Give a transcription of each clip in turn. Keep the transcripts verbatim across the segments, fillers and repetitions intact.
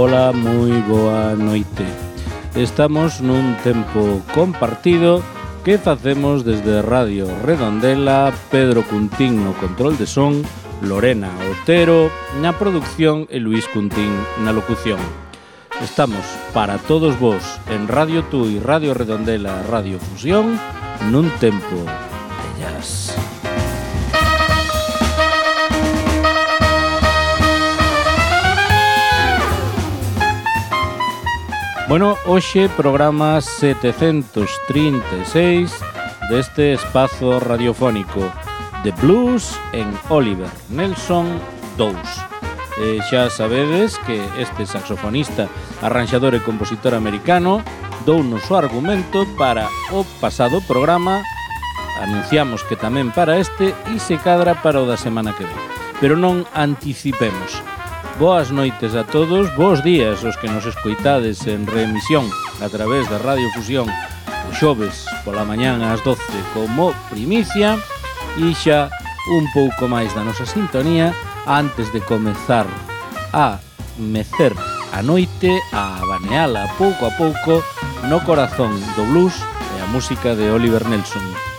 Ola, moi boa noite. Estamos nun tempo compartido que facemos desde Radio Redondela, Pedro Cuntín no control de son, Lorena Otero na producción e Luís Cuntín na locución. Estamos para todos vos en Radio Tui, Radio Redondela, Radio Fusión, nun tempo de jazz. Bueno, hoxe programa setecentos trinta e seis deste espazo radiofónico de blues en Oliver Nelson dous. Eh, xa sabedes que este saxofonista, arranxador e compositor americano dounos o argumento para o pasado programa, anunciamos que tamén para este e se cadra para o da semana que ven. Pero non anticipemos. Boas noites a todos, bons días os que nos escoitades en reemisión a través da Radio Fusión o xoves pola mañán ás doce como primicia e xa un pouco máis da nosa sintonía antes de comezar a mecer a noite, a baneala pouco a pouco no corazón do blues e a música de Oliver Nelson.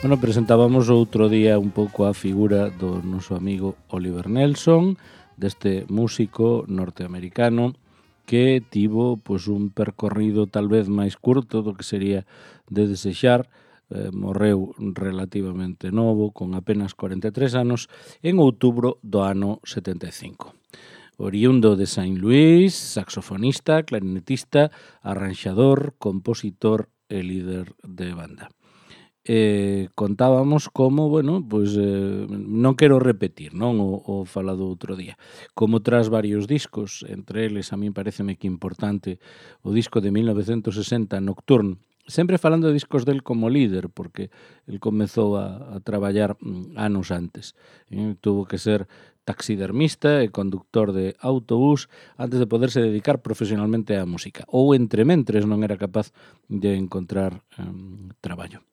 Bueno, presentábamos outro día un pouco a figura do noso amigo Oliver Nelson, deste músico norteamericano que tivo pois, un percorrido tal vez máis curto do que sería de desexar. Eh, morreu relativamente novo, con apenas cuarenta e tres anos, en outubro do ano setenta e cinco. Oriundo de Saint Louis, saxofonista, clarinetista, arranxador, compositor e líder de banda. Eh, contábamos como, bueno, pois eh, non quero repetir, non o, o falado outro día, como tras varios discos, entre eles a mí pareceme que importante o disco de mil novecentos sesenta Nocturne, sempre falando de discos del como líder, porque el comezou a, a traballar mm, anos antes, eh, tuvo que ser taxidermista e conductor de autobús antes de poderse dedicar profesionalmente á música, ou entrementres non era capaz de encontrar um, traballo.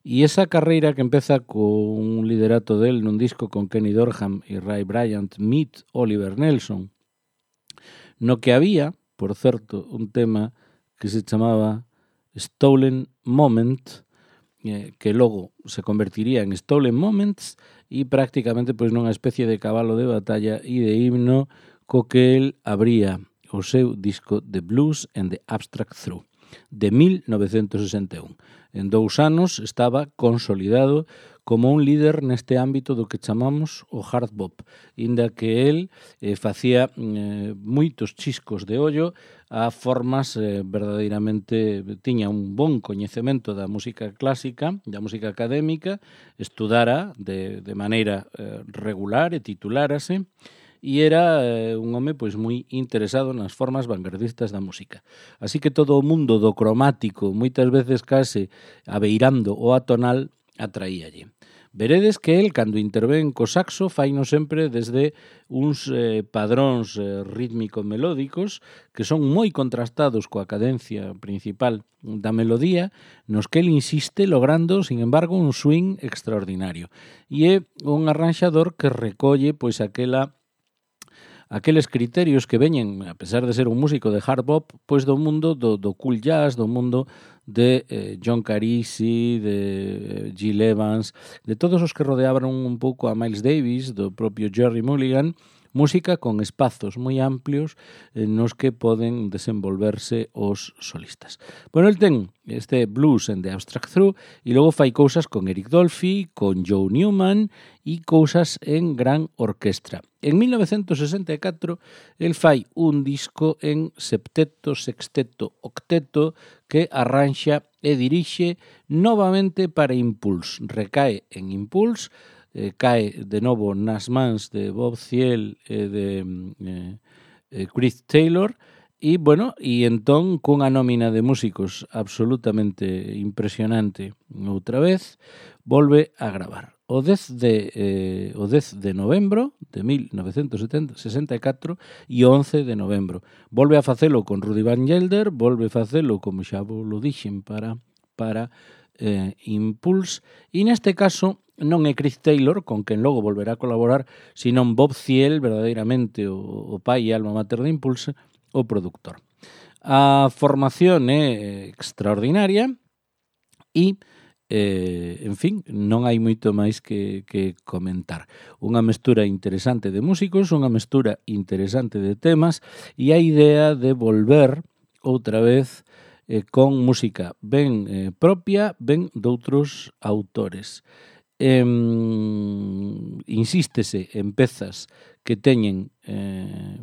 E esa carreira que empeza con un liderato del nun disco con Kenny Dorham e Ray Bryant, Meet Oliver Nelson, no que había, por certo, un tema que se chamaba Stolen Moment, eh, que logo se convertiría en Stolen Moments e prácticamente pois nunha especie de cabalo de batalla e de himno co que el abría o seu disco The Blues and the Abstract Through, de mil novecentos sesenta e un. En dous anos estaba consolidado como un líder neste ámbito do que chamamos o hard bop, inda que el eh, facía eh, moitos chiscos de ollo a formas eh, verdadeiramente, tiña un bon coñecemento da música clásica, da música académica, estudara de, de maneira eh, regular e titulárase, e era eh, un home pois moi interesado nas formas vanguardistas da música. Así que todo o mundo do cromático, moitas veces case abeirando o atonal, atraíalle. Veredes que el, cando intervén co saxo, faino sempre desde uns eh, padróns eh, rítmico-melódicos que son moi contrastados coa cadencia principal da melodía, nos que el insiste logrando, sin embargo, un swing extraordinario. E é un arranxador que recolle pois aquela aqueles criterios que veñen, a pesar de ser un músico de hard bop, pois do mundo do, do cool jazz, do mundo de eh, John Carisi, de eh, Gil Evans, de todos os que rodeaban un pouco a Miles Davis, do propio Jerry Mulligan, música con espazos moi amplios eh, nos que poden desenvolverse os solistas. Bueno, el ten este Blues and the Abstract Through e logo fai cousas con Eric Dolphy, con Joe Newman e cousas en gran orquestra. En mil novecentos sesenta e catro el fai un disco en septeto, sexteto, octeto que arranxa e dirixe novamente para Impulse. Recae en Impulse, eh, cae de novo nas mans de Bob Thiel e de eh, eh, Chris Taylor e, bueno, e entón cunha nómina de músicos absolutamente impresionante outra vez, volve a gravar. o dez de, eh, o dez de novembro de mil novecentos sesenta e catro e o once de novembro. Volve a facelo con Rudy Van Gelder, volve a facelo, como xa vos lo dixen, para, para eh, Impulse, e neste caso non é Chris Taylor, con quen logo volverá a colaborar, senón Bob Thiel, verdadeiramente o, o pai e alma mater de Impulse, o produtor. A formación é extraordinaria e Eh, en fin, non hai moito máis que, que comentar. Unha mestura interesante de músicos, unha mestura interesante de temas e a idea de volver outra vez eh, con música ben eh, propia, ben doutros autores. Eh, insístese en pezas que teñen eh,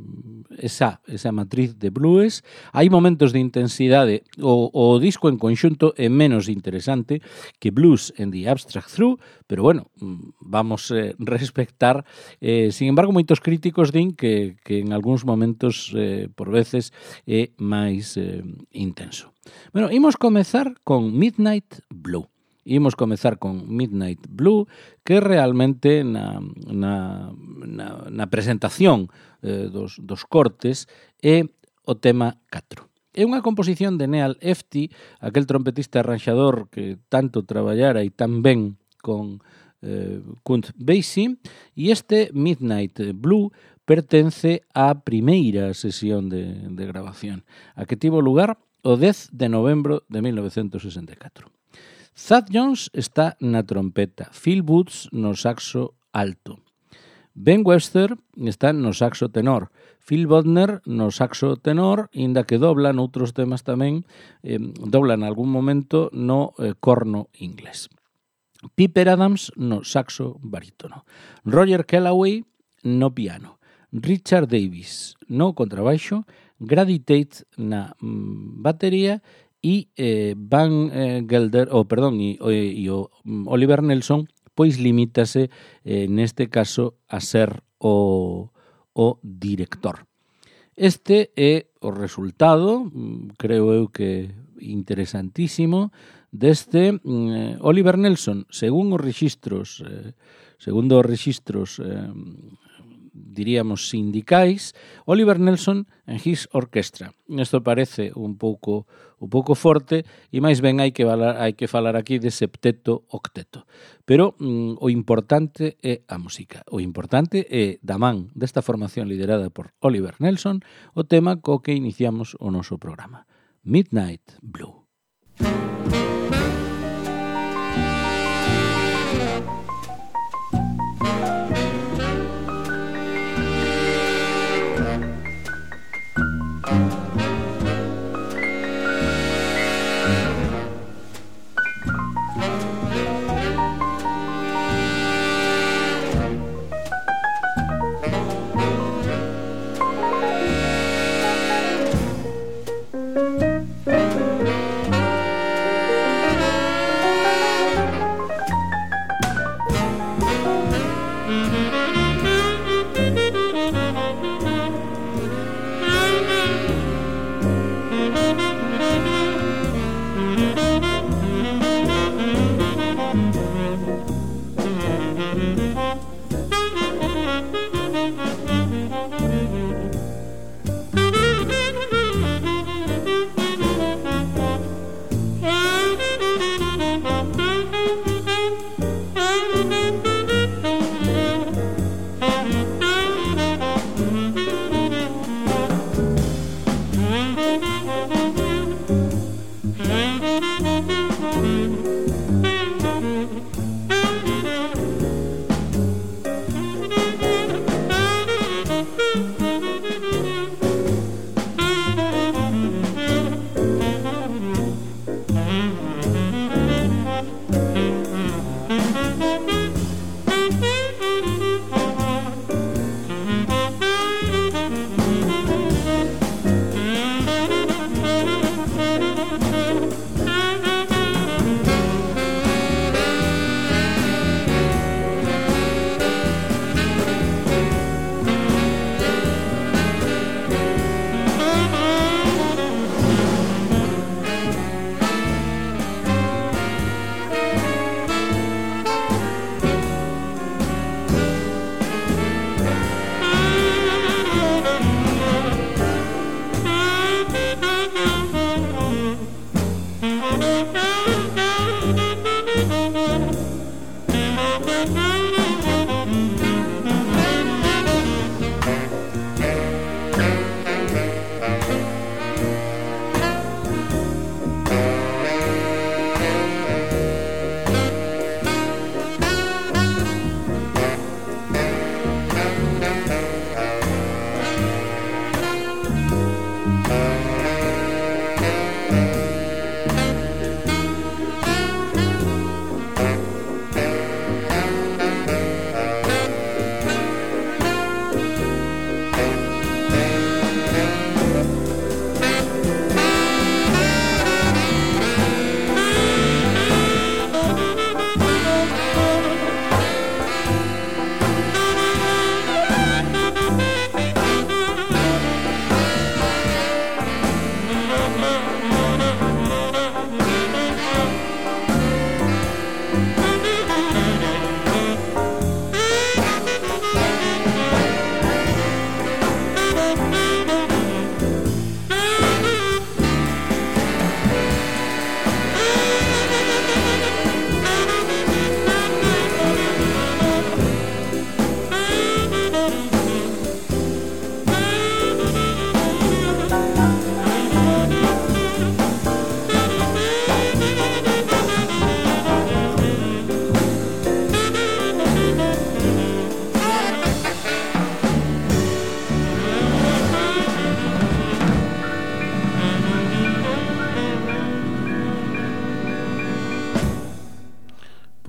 esa, esa matriz de blues. Hai momentos de intensidade. O, o disco en conxunto é menos interesante que Blues and the Abstract Through, pero bueno, vamos a eh, respectar. Eh, sin embargo, moitos críticos din que, que en algúns momentos, eh, por veces, é máis eh, intenso. Bueno, imos comezar con Midnight Blue. Imos comezar con Midnight Blue, que realmente na, na, na, na presentación eh, dos, dos cortes é o tema catro. É unha composición de Neal Hefti, aquel trompetista arranxador que tanto traballara e tan ben con eh, Count Basie, e este Midnight Blue pertence á primeira sesión de, de grabación, a que tivo lugar o dez de novembro de mil novecentos sesenta e catro. Thad Jones está na trompeta, Phil Woods no saxo alto, Ben Webster está no saxo tenor, Phil Bodner no saxo tenor, inda que dobla noutros temas tamén, eh, dobla en algún momento no eh, corno inglés. Piper Adams no saxo barítono, Roger Kellaway no piano, Richard Davis no contrabaixo, Grady Tate na mm, batería e eh, Van eh, Gelder, oh, perdón, e, e, e o Oliver Nelson, pois limítase eh, neste caso a ser o, o director. Este é o resultado, creo eu que interesantísimo, deste eh, Oliver Nelson, según os rexistros, eh, segundo os rexistros eh, diríamos sindicais, Oliver Nelson en His Orchestra. Isto parece un pouco un pouco forte e máis ben hai que falar, hai que falar aquí de septeto octeto. Pero mm, o importante é a música. O importante é da man desta formación liderada por Oliver Nelson o tema co que iniciamos o noso programa. Midnight Blue.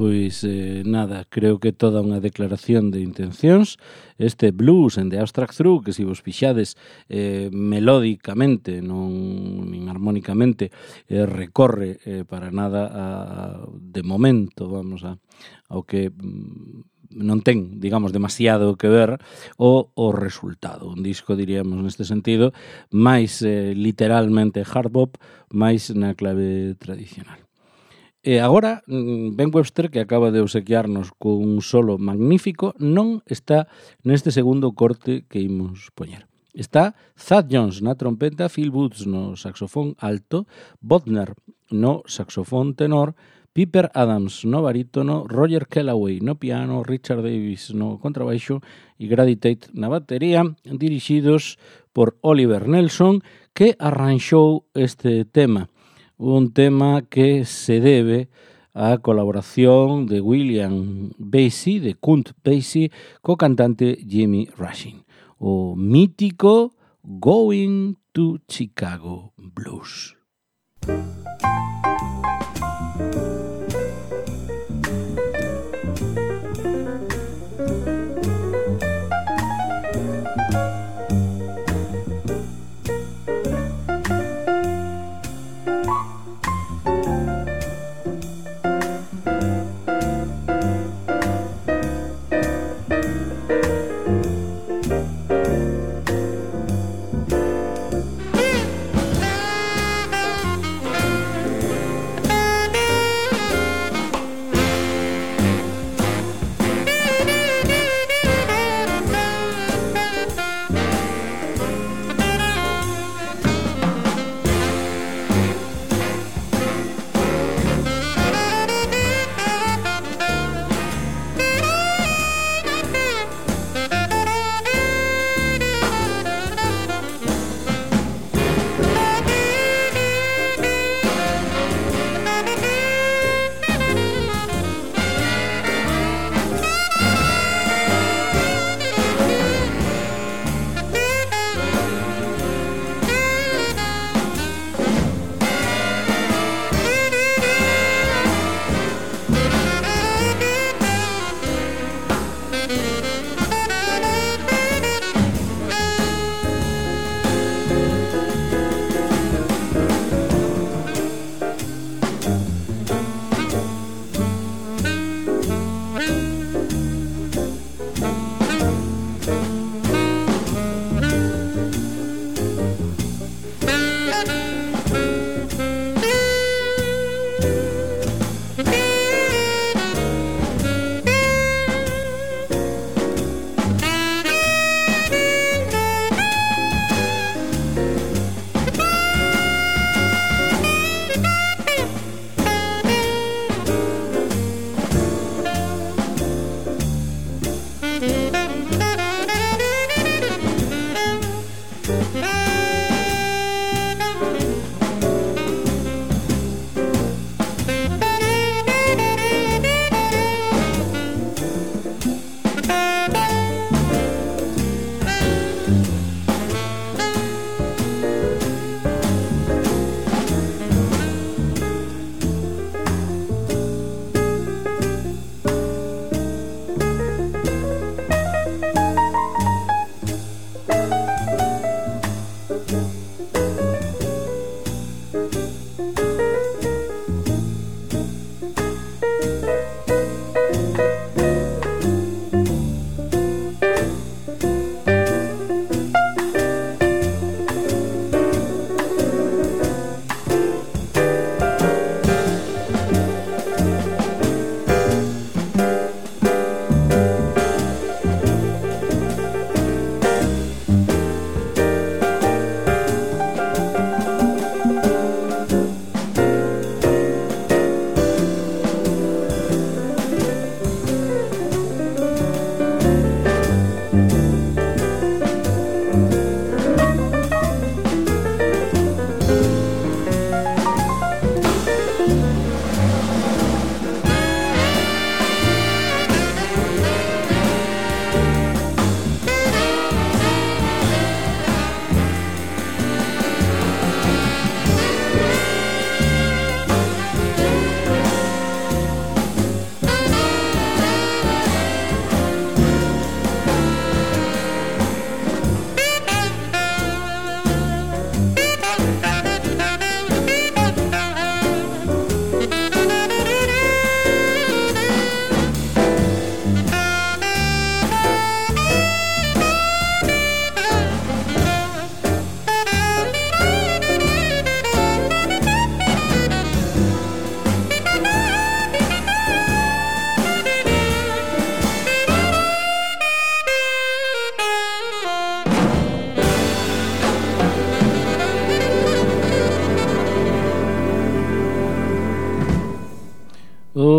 Pois eh, nada, creo que toda unha declaración de intencións. Este blues en The Abstract Through, que se vos fixades eh, melódicamente, non nin armónicamente, eh, recorre eh, para nada a, de momento, vamos a, ao que mm, non ten, digamos, demasiado que ver o, o resultado. Un disco, diríamos, neste sentido, máis eh, literalmente hard bop, máis na clave tradicional. E agora, Ben Webster, que acaba de obsequiarnos con un solo magnífico, non está neste segundo corte que imos poñer. Está Thad Jones na trompeta, Phil Woods no saxofón alto, Bodner no saxofón tenor, Piper Adams no barítono, Roger Kellaway no piano, Richard Davis no contrabaixo e Grady Tate na batería, dirixidos por Oliver Nelson, que arranxou este tema. Un tema que se debe á colaboración de William Basie, de Count Basie, co cantante Jimmy Rushing. O mítico Going to Chicago Blues.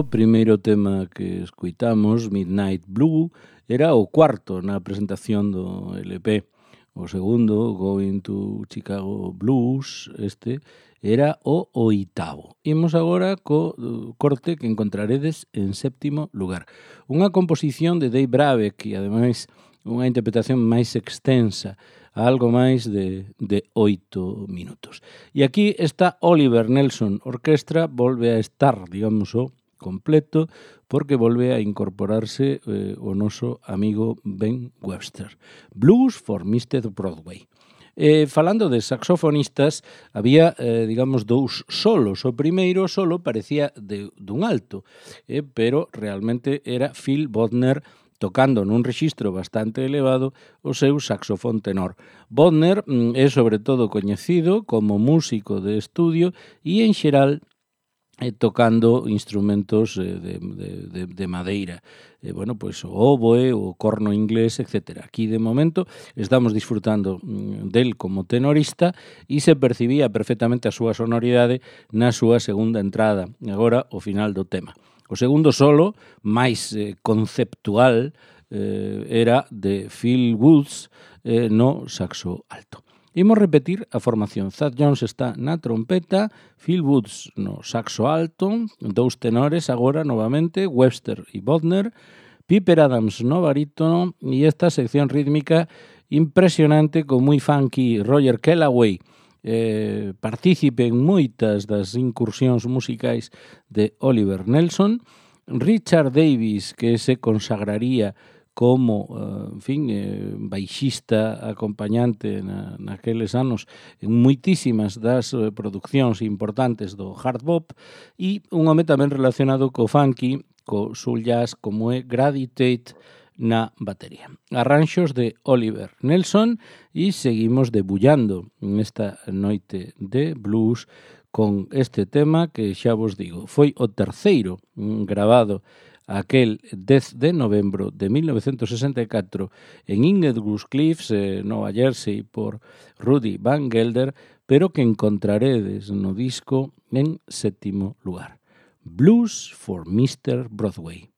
O primeiro tema que escuitamos, Midnight Blue, era o cuarto na presentación do L P. O segundo, Going to Chicago Blues, este, era o oitavo. Imos agora co corte que encontraredes en séptimo lugar. Unha composición de Dave Brubeck e, ademais, unha interpretación máis extensa, a algo máis de, de oito minutos. E aquí está Oliver Nelson Orquestra, volve a estar, digamos, o completo, porque volve a incorporarse eh, o noso amigo Ben Webster. Blues for mister Broadway. Eh, falando de saxofonistas, había, eh, digamos, dous solos. O primeiro solo parecía de, dun alto, eh, pero realmente era Phil Bodner tocando nun rexistro bastante elevado o seu saxofón tenor. Bodner mm, é sobre todo coñecido como músico de estudio e, en xeral, eh, tocando instrumentos eh, de, de, de, de madeira. Eh, bueno, pois o oboe, o corno inglés, etcétera. Aquí, de momento, estamos disfrutando mm, del como tenorista e se percibía perfectamente a súa sonoridade na súa segunda entrada, agora o final do tema. O segundo solo, máis eh, conceptual, eh, era de Phil Woods eh, no saxo alto. Imos repetir a formación. Thad Jones está na trompeta, Phil Woods no saxo alto, dous tenores agora novamente, Webster e Bodner, Piper Adams no barítono e esta sección rítmica impresionante con moi funky Roger Kellaway, eh, partícipe en moitas das incursións musicais de Oliver Nelson, Richard Davis, que se consagraría como, uh, en fin, eh, baixista acompañante na, naqueles anos en moitísimas das eh, producións importantes do hard bop, e un home tamén relacionado co funky, co soul jazz, como é Grady Tate na batería. Arranxos de Oliver Nelson e seguimos debullando nesta noite de blues con este tema que xa vos digo, foi o terceiro grabado aquel dez de novembro de mil novecentos sesenta e catro en Inglewood Cliffs, eh, Nova Jersey, por Rudy Van Gelder, pero que encontraredes no disco en sétimo lugar. Blues for mister Broadway.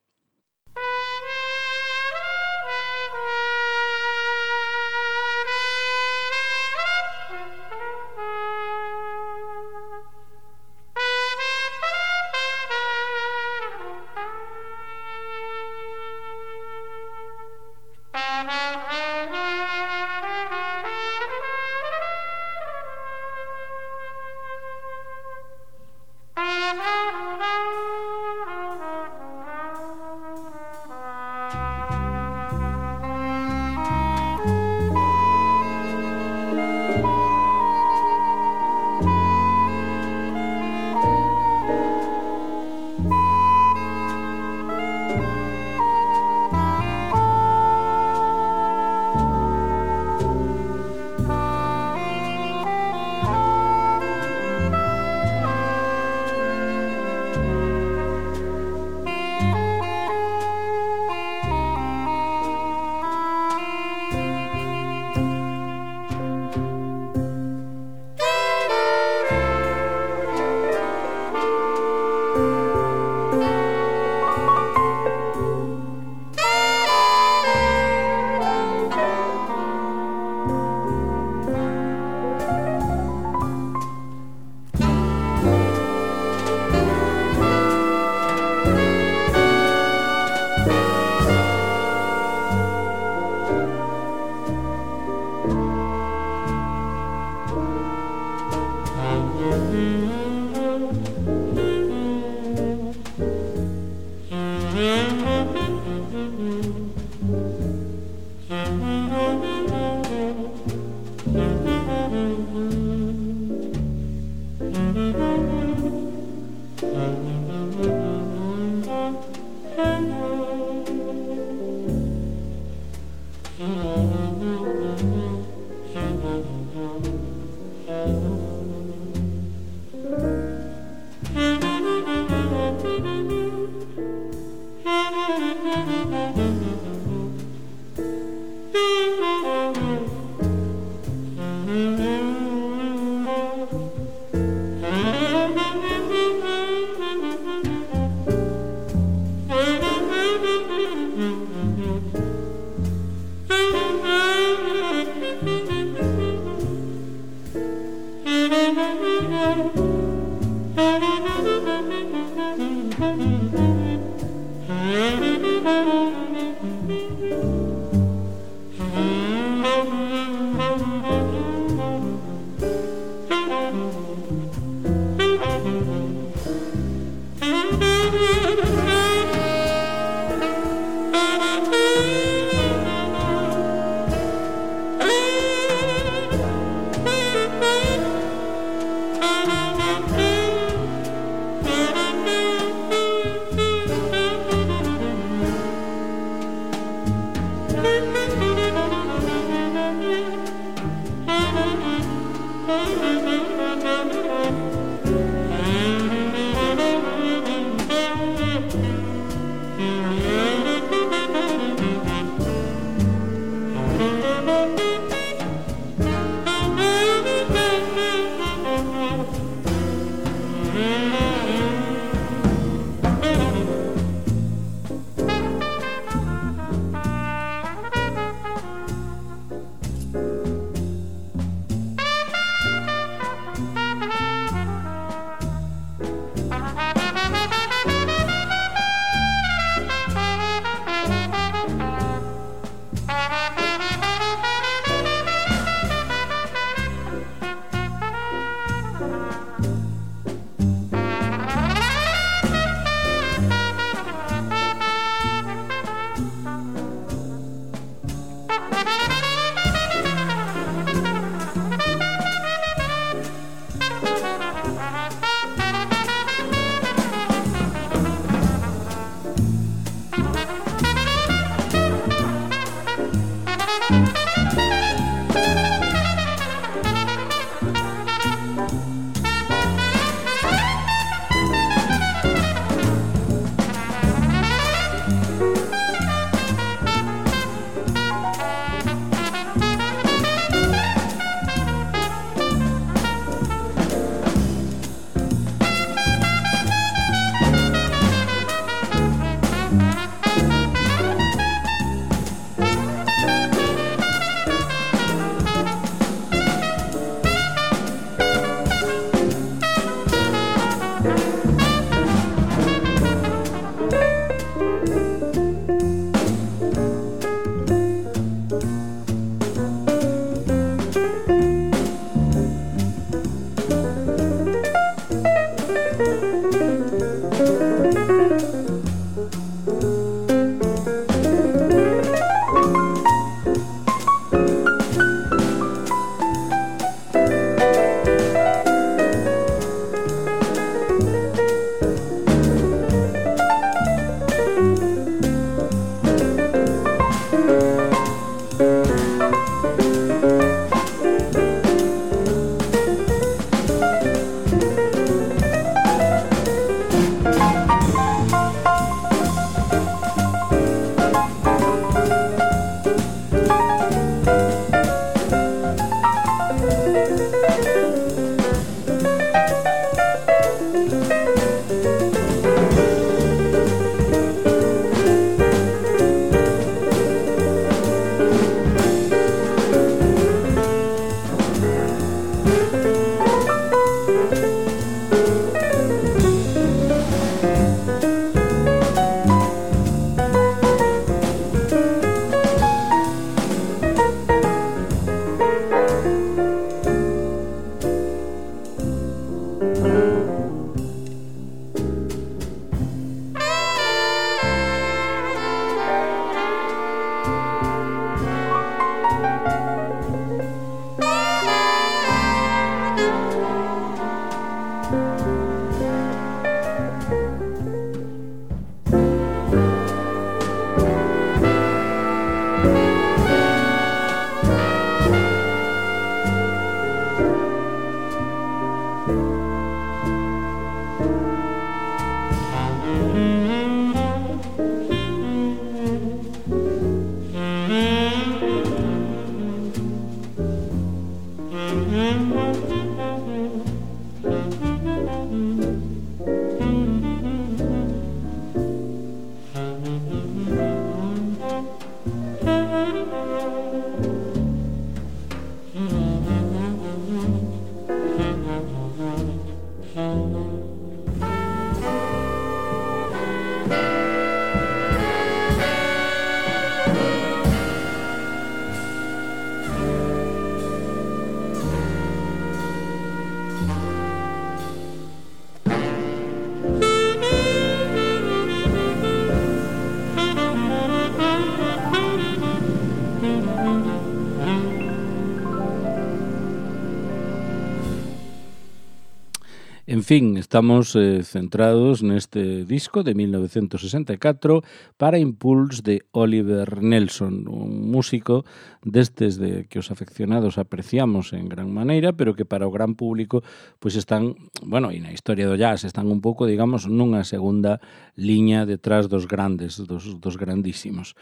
En fin, estamos eh, centrados neste disco de mil novecentos sesenta e catro para Impulse de Oliver Nelson, un músico destes de que os afeccionados apreciamos en gran maneira, pero que para o gran público pois están, bueno, e na historia do jazz están un pouco, digamos, nunha segunda liña detrás dos grandes, dos, dos grandísimos.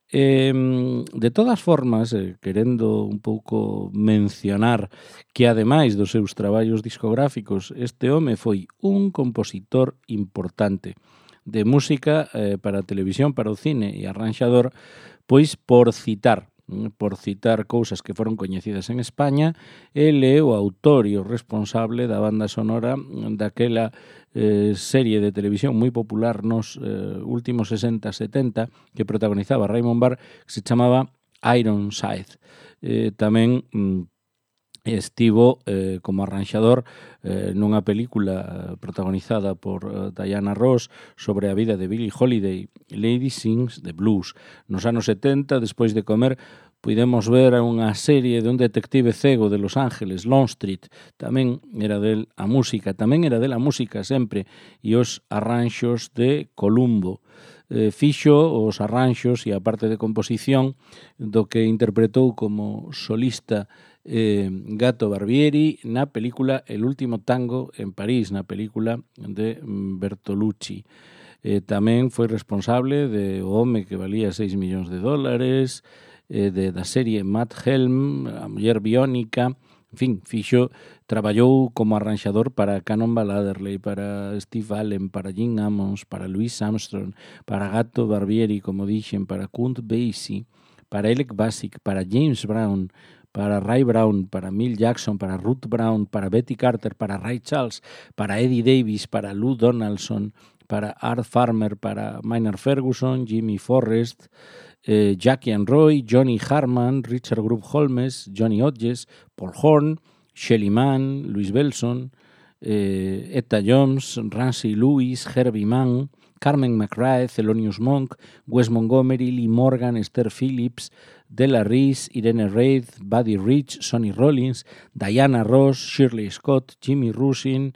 Eh, de todas formas, eh, querendo un pouco mencionar que ademais dos seus traballos discográficos, este home foi un compositor importante de música eh, para a televisión, para o cine e arranxador, pois por citar por citar cousas que foron coñecidas en España, ele é o autor e o responsable da banda sonora daquela eh, serie de televisión moi popular nos eh, últimos sesenta setenta que protagonizaba Raymond Barr, que se chamaba Ironside. Eh, tamén mm, estivo eh, como arranxador eh, nunha película protagonizada por uh, Diana Ross sobre a vida de Billie Holiday, Lady Sings the Blues. Nos anos setenta, despois de comer, puidemos ver unha serie de un detective cego de Los Ángeles, Longstreet. Tamén era del a música, tamén era del a música sempre, e os arranxos de Columbo. Eh, fixo os arranxos e a parte de composición do que interpretou como solista eh, Gato Barbieri na película El último tango en París, na película de Bertolucci. Eh, tamén foi responsable de O home que valía seis millóns de dólares, eh, de, da serie Matt Helm, A muller biónica. En fin, fixo, traballou como arranxador para Cannonball Adderley, para Steve Allen, para Gene Ammons, para Louis Armstrong, para Gato Barbieri, como dixen, para Count Basie, para Alec Basic, para James Brown, para Ray Brown, para Mill Jackson, para Ruth Brown, para Betty Carter, para Ray Charles, para Eddie Davis, para Lou Donaldson, para Art Farmer, para Maynard Ferguson, Jimmy Forrest, eh, Jackie and Roy, Johnny Harman, Richard Group Holmes, Johnny Hodges, Paul Horn, Shelly Mann, Louis Belson, eh, Etta Jones, Ramsey Lewis, Herbie Mann, Carmen McRae, Thelonious Monk, Wes Montgomery, Lee Morgan, Esther Phillips, Della Reese, Irene Reid, Buddy Rich, Sonny Rollins, Diana Ross, Shirley Scott, Jimmy Rusin,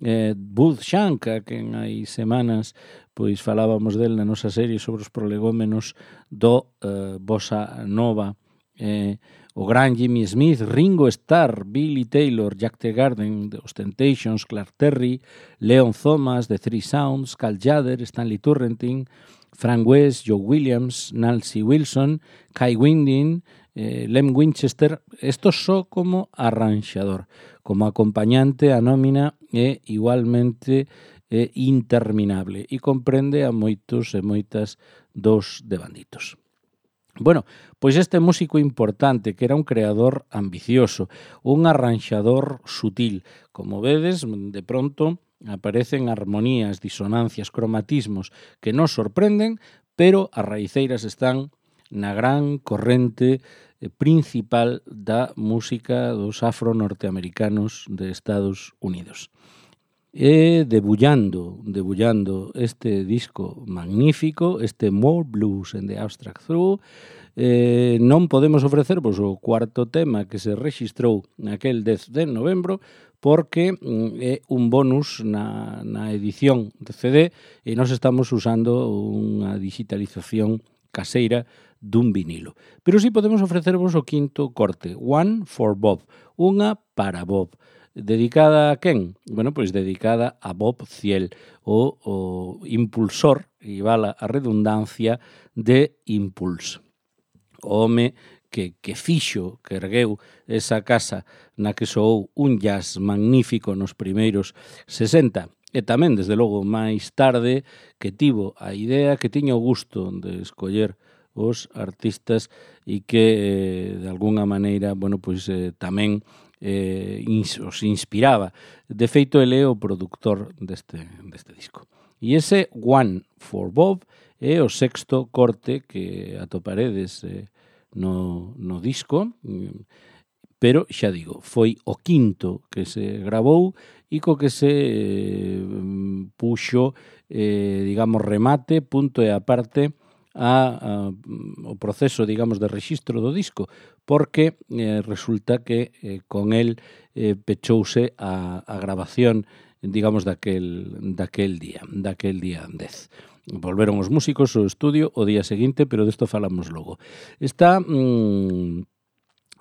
eh, Bud Shank, a quen hai semanas pois falábamos del na nosa serie sobre os prolegómenos do eh, Bossa Nova, eh, o gran Jimmy Smith, Ringo Starr, Billy Taylor, Jack Teagarden, The Ostentations, Clark Terry, Leon Thomas, The Three Sounds, Cal Tjader, Stanley Turrentine, Frank West, Joe Williams, Nancy Wilson, Kai Winding, eh, Lem Winchester. Esto só como arranxador. Como acompañante, a nómina é igualmente é interminable e comprende a moitos e moitas dos devanditos. Bueno, pois este músico importante que era un creador ambicioso, un arranxador sutil. Como vedes, de pronto aparecen armonías, disonancias, cromatismos que nos sorprenden, pero as raiceiras están na gran corrente principal da música dos afro-norteamericanos de Estados Unidos. E debullando, debullando este disco magnífico, este More Blues and the Abstract Through, eh, non podemos ofrecervos o cuarto tema que se rexistrou naquel dez de novembro, porque mm, é un bonus na, na edición de C D e nós estamos usando unha digitalización caseira dun vinilo. Pero sí podemos ofrecervos o quinto corte, One for Bob, unha para Bob. Dedicada a quen? Bueno, pois dedicada a Bob Thiel, o, o impulsor, e vala a redundancia, de Impulse. O home que, que fixo, que ergueu esa casa na que soou un jazz magnífico nos primeiros sesenta, e tamén, desde logo, máis tarde, que tivo a idea, que tiña o gusto de escoller os artistas e que, eh, de alguna maneira, bueno, pois eh, tamén eh, ins, os inspiraba. De feito, ele é o produtor deste, deste disco. E ese One for Bob é o sexto corte que atoparedes eh, no, no disco, pero, xa digo, foi o quinto que se gravou e co que se eh, puxo, eh, digamos, remate, punto e aparte, a, a, o proceso, digamos, de rexistro do disco, porque eh, resulta que eh, con el eh, pechouse a, a grabación digamos, daquel, daquel día, daquel día dez. Volveron os músicos ao estudio o día seguinte, pero desto falamos logo. Está, mmm,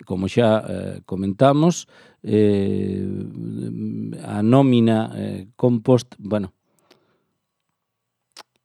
como xa eh, comentamos, eh, a nómina eh, compost, bueno,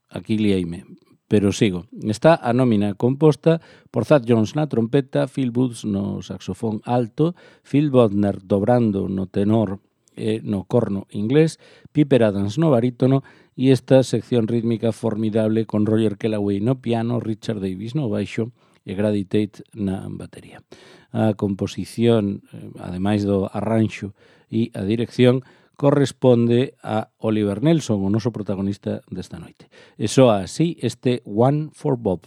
aquí liaime, pero sigo. Está a nómina composta por Thad Jones na trompeta, Phil Woods no saxofón alto, Phil Bodner dobrando no tenor e no corno inglés, Piper Adams no barítono e esta sección rítmica formidable con Roger Kellaway no piano, Richard Davis no baixo e Grady Tate na batería. A composición, ademais do arranxo e a dirección, corresponde a Oliver Nelson, o noso protagonista desta noite. E soa así este One for Bob.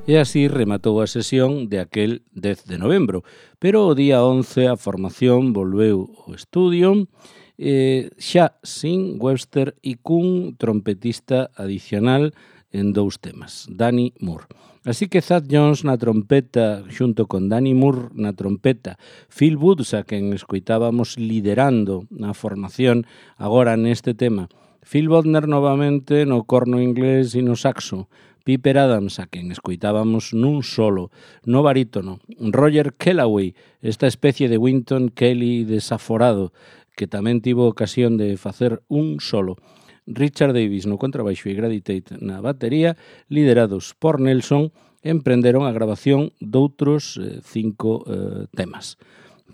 E así rematou a sesión de aquel dez de novembro. Pero o día once a formación volveu ao estudio, eh, xa sin Webster e cun trompetista adicional en dous temas, Danny Moore. Así que Thad Jones na trompeta, xunto con Danny Moore na trompeta, Phil Woods, a quen escoitábamos liderando a formación agora neste tema, Phil Bodner novamente no corno inglés e no saxo, Piper Adams, a quen escoitábamos nun solo, no barítono, Roger Kellaway, esta especie de Wynton Kelly desaforado, que tamén tivo ocasión de facer un solo, Richard Davis no contrabaixo e Grady Tate na batería, liderados por Nelson, emprenderon a grabación doutros eh, cinco eh, temas.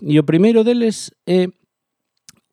E o primeiro deles é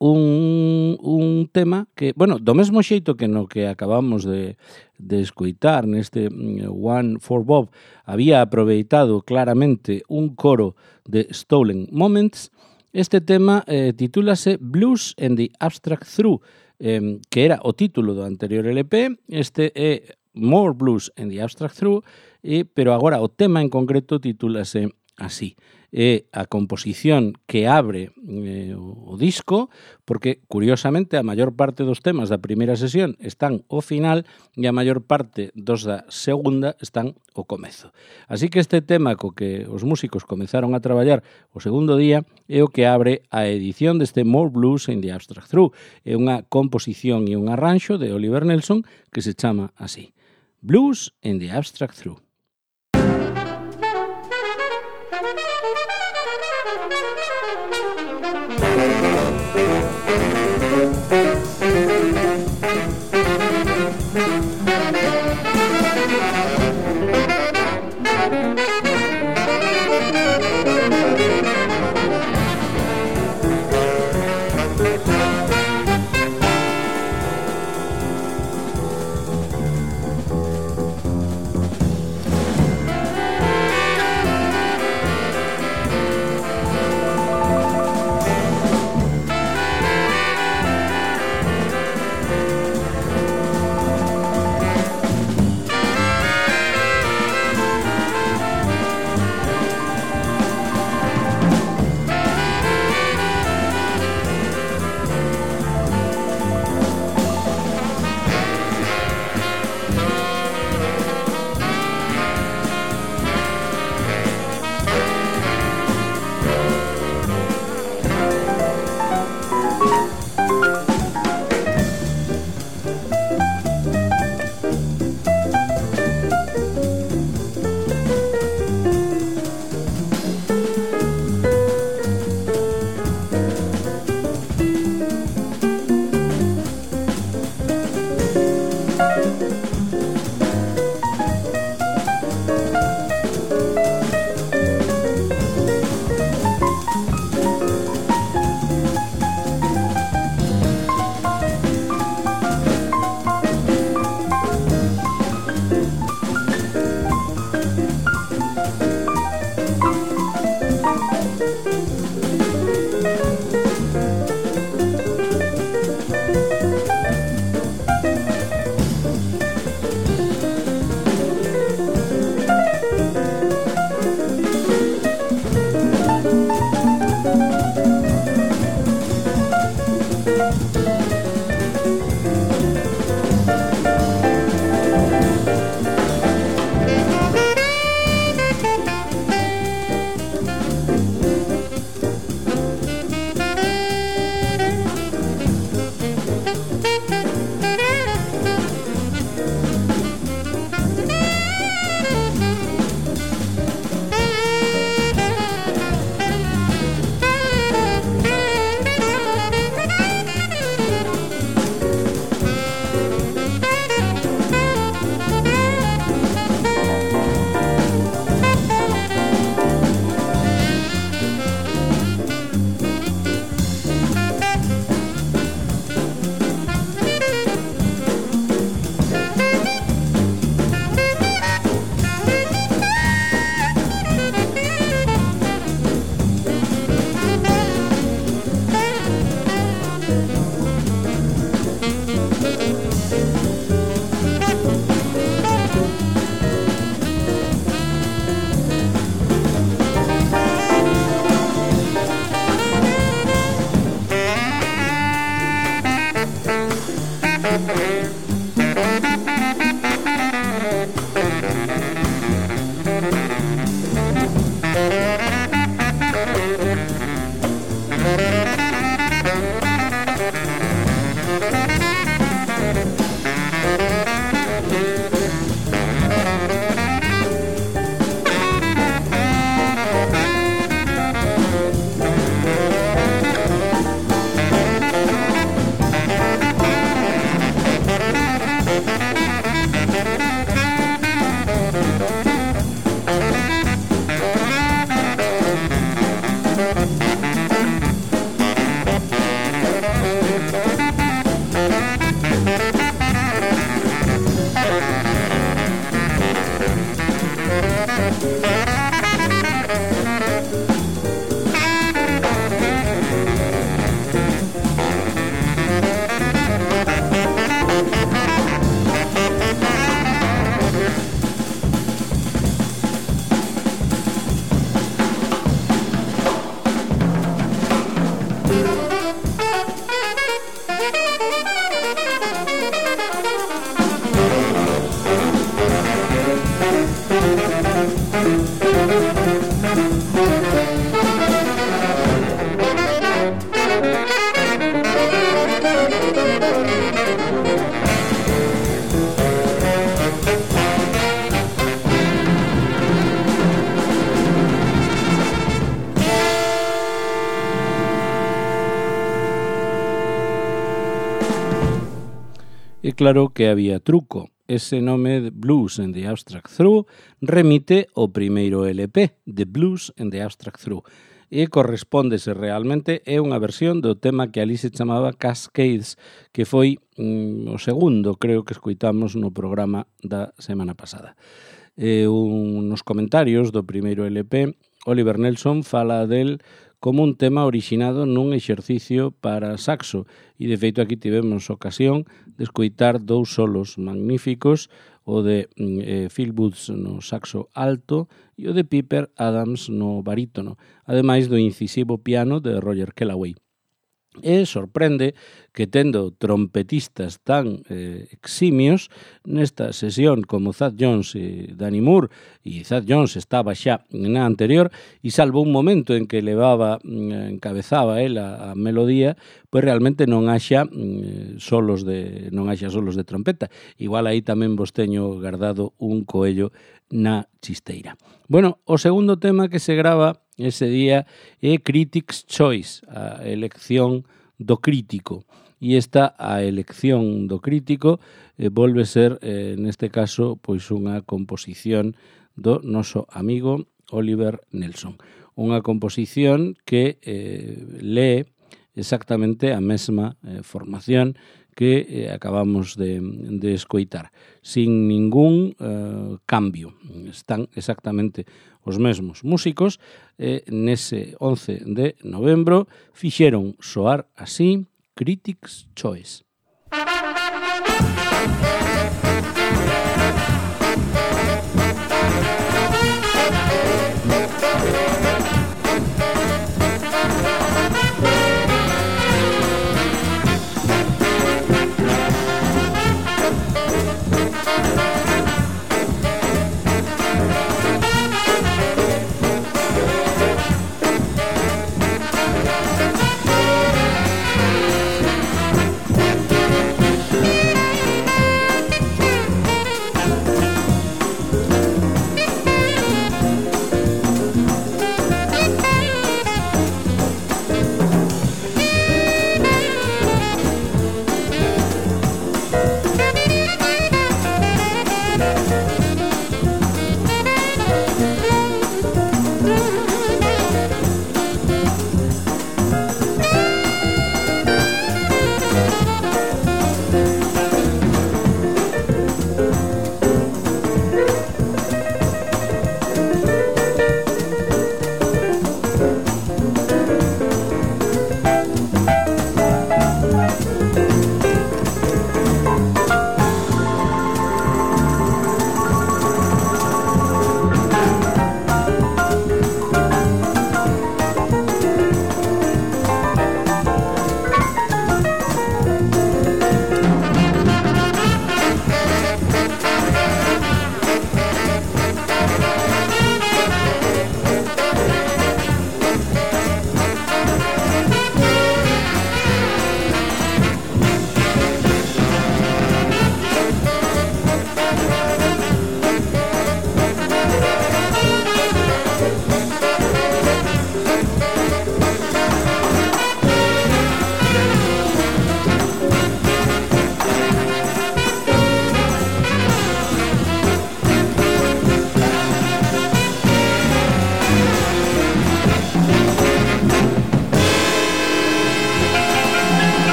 un, un tema que, bueno, do mesmo xeito que no que acabamos de, de escoitar neste One for Bob, había aproveitado claramente un coro de Stolen Moments, este tema eh, titúlase Blues and the Abstract Through, eh, que era o título do anterior L P, este é More Blues and the Abstract Through, e, pero agora o tema en concreto titúlase así. É a composición que abre eh, o, o disco, porque, curiosamente, a maior parte dos temas da primeira sesión están ao final e a maior parte dos da segunda están ao comezo. Así que este tema co que os músicos comezaron a traballar o segundo día é o que abre a edición deste More Blues in the Abstract Through. É unha composición e un arranxo de Oliver Nelson que se chama así. Blues in the Abstract Through. E claro que había truco. Ese nome de Blues and the Abstract Through remite ao primeiro L P, The Blues and the Abstract Through, e correspóndese realmente, é unha versión do tema que ali se chamaba Cascades, que foi mm, o segundo, creo que escoitamos no programa da semana pasada. E un, nos comentarios do primeiro L P, Oliver Nelson fala del como un tema orixinado nun exercicio para saxo, e de feito aquí tivemos ocasión de escoitar dous solos magníficos, o de eh, Phil Woods no saxo alto e o de Piper Adams no barítono, ademais do incisivo piano de Roger Kellaway. E sorprende que tendo trompetistas tan eh, eximios nesta sesión como Thad Jones e Danny Moore, e Thad Jones estaba xa na anterior, e salvo un momento en que levaba, encabezaba el a, a melodía, pois realmente non haxa mm, solos de non haxa solos de trompeta. Igual aí tamén vos teño guardado un coello na chisteira. Bueno, o segundo tema que se grava ese día é Critics' Choice, a elección do crítico. E esta, a elección do crítico, eh, volve ser, eh, neste caso, pois unha composición do noso amigo Oliver Nelson. Unha composición que eh, lee exactamente a mesma eh, formación que eh, acabamos de, de escoitar, sin ningún eh, cambio. Están exactamente os mesmos músicos, eh, nese once de novembro fixeron soar así Critics' Choice.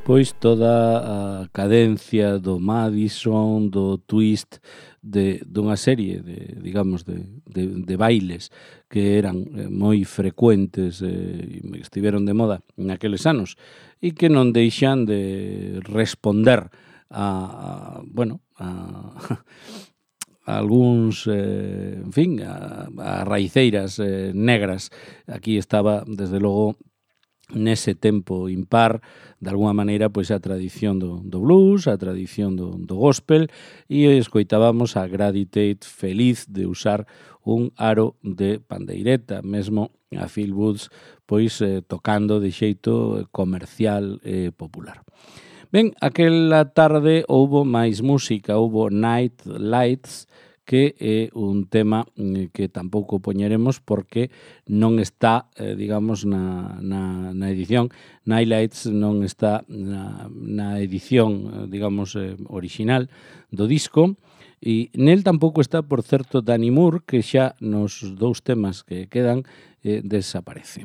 pois toda a cadencia do Madison, do twist de dunha serie de, digamos, de, de, de bailes que eran moi frecuentes e eh, estiveron de moda naqueles anos e que non deixan de responder a, a bueno, a, a algúns, eh, en fin, a, a raiceiras eh, negras. Aquí estaba, desde logo, nese tempo impar, de alguma maneira, pois a tradición do, do blues, a tradición do, do gospel, e escoitábamos a Grady Tate feliz de usar un aro de pandeireta, mesmo a Phil Woods pois eh, tocando de xeito comercial e popular. Ben, aquela tarde houbo máis música, houbo Night Lights, que é un tema que tampouco poñeremos porque non está, eh, digamos, na, na, na edición. Nightlights non está na, na edición, digamos, eh, original do disco, e nel tampouco está, por certo, Danny Moore, que xa nos dous temas que quedan eh, desaparece.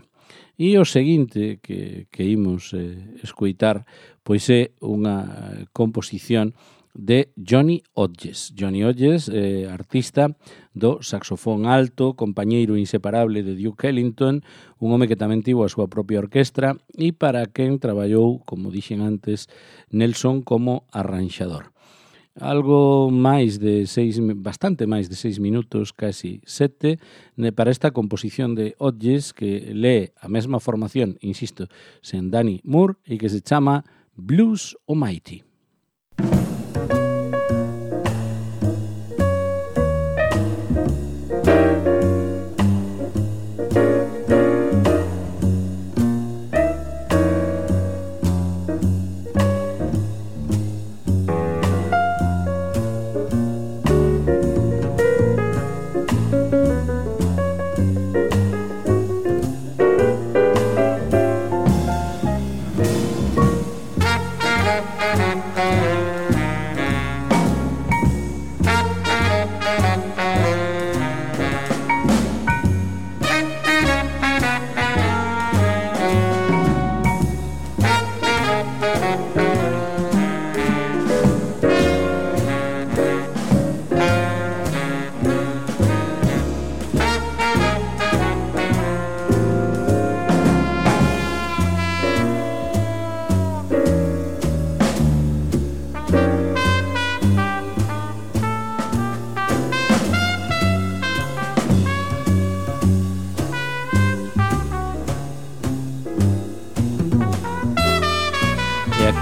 E o seguinte que, que imos eh, escoitar, pois é unha composición de Johnny Hodges. Johnny Hodges, eh, artista do saxofón alto, compañeiro inseparable de Duke Ellington, un home que tamén tivo a súa propia orquestra e para quen traballou, como dixen antes, Nelson como arranxador. Algo máis de seis, bastante máis de seis minutos, casi sete, para esta composición de Hodges que lee a mesma formación, insisto, sen Danny Moore e que se chama Blues Almighty.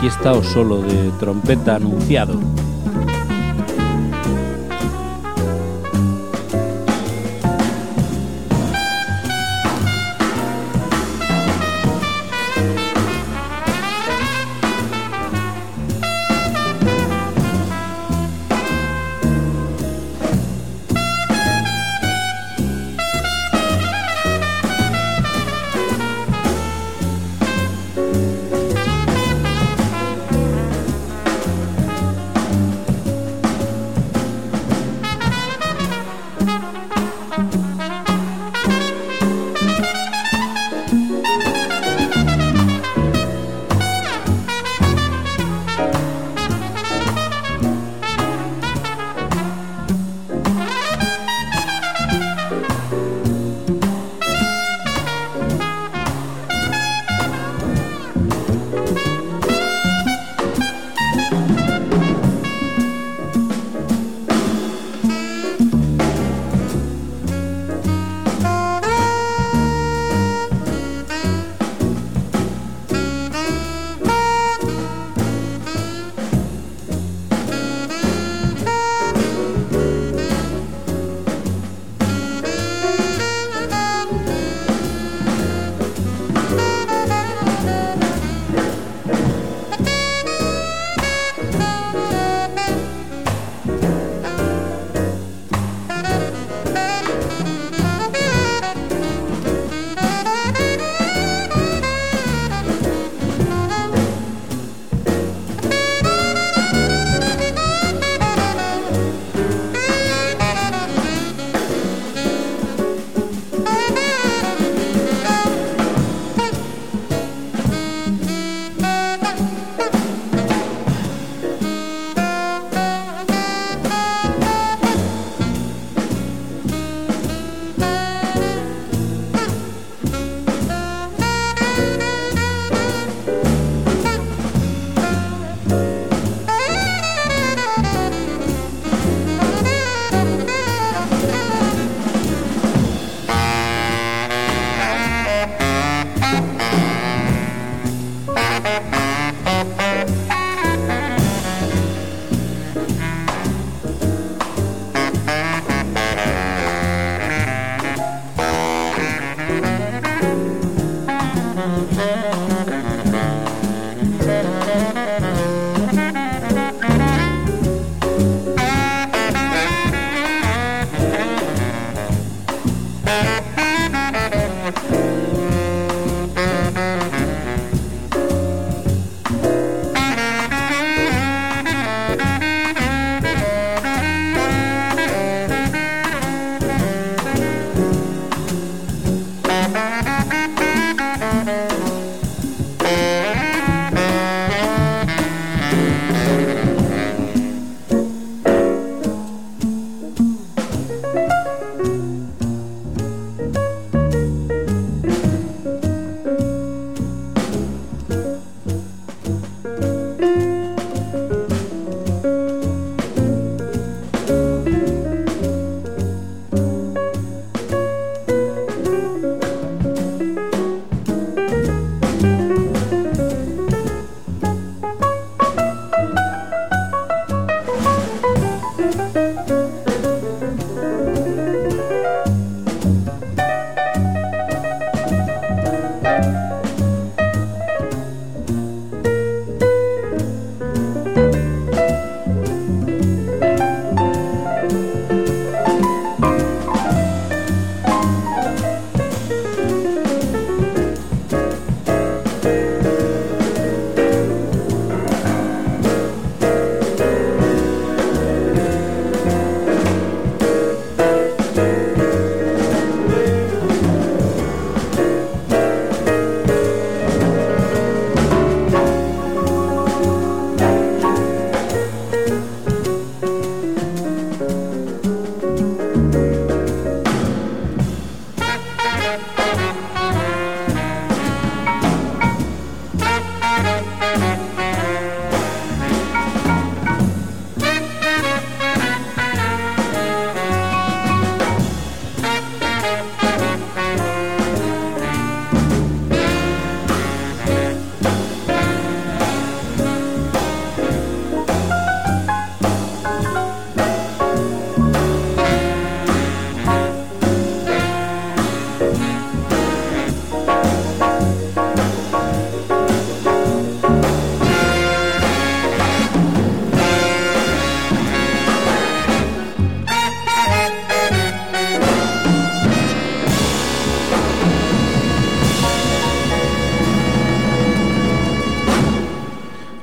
Aquí está o solo de trompeta anunciado.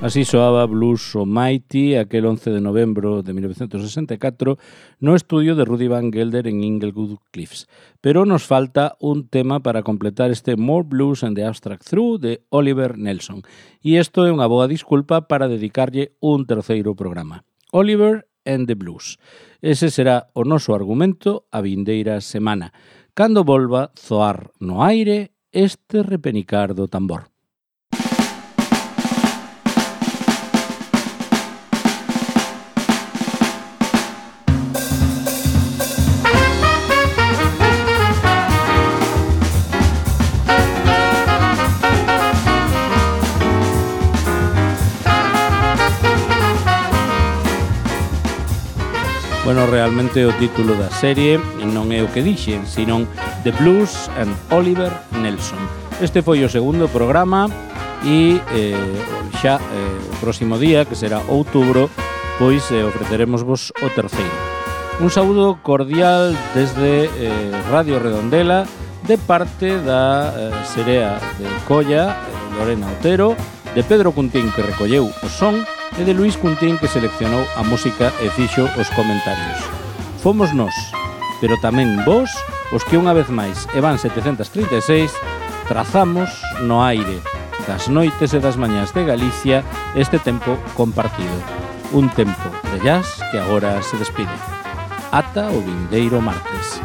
Así soaba Blues Almighty aquel once de novembro de mil novecientos sesenta e catro no estudio de Rudy Van Gelder en Inglewood Cliffs. Pero nos falta un tema para completar este More Blues and the Abstract Through de Oliver Nelson. E isto é unha boa disculpa para dedicarlle un terceiro programa. Oliver and the Blues. Ese será o noso argumento a vindeira semana, cando volva zoar no aire este repenicar do tambor. Bueno, realmente o título da serie non é o que dixen, senón The Blues and Oliver Nelson. Este foi o segundo programa e eh, xa eh, o próximo día, que será outubro, pois eh, ofreceremos vos o terceiro. Un saúdo cordial desde eh, Radio Redondela de parte da eh, Serea de Colla, eh, Lorena Otero, de Pedro Cuntín, que recolleu o son, e de Luís Cuntín, que seleccionou a música e fixo os comentarios. Fomos nós, pero tamén vos, os que unha vez máis, e van setecentos trinta e seis, trazamos no aire das noites e das mañás de Galicia este tempo compartido. Un tempo de jazz que agora se despide. Ata o vindeiro martes.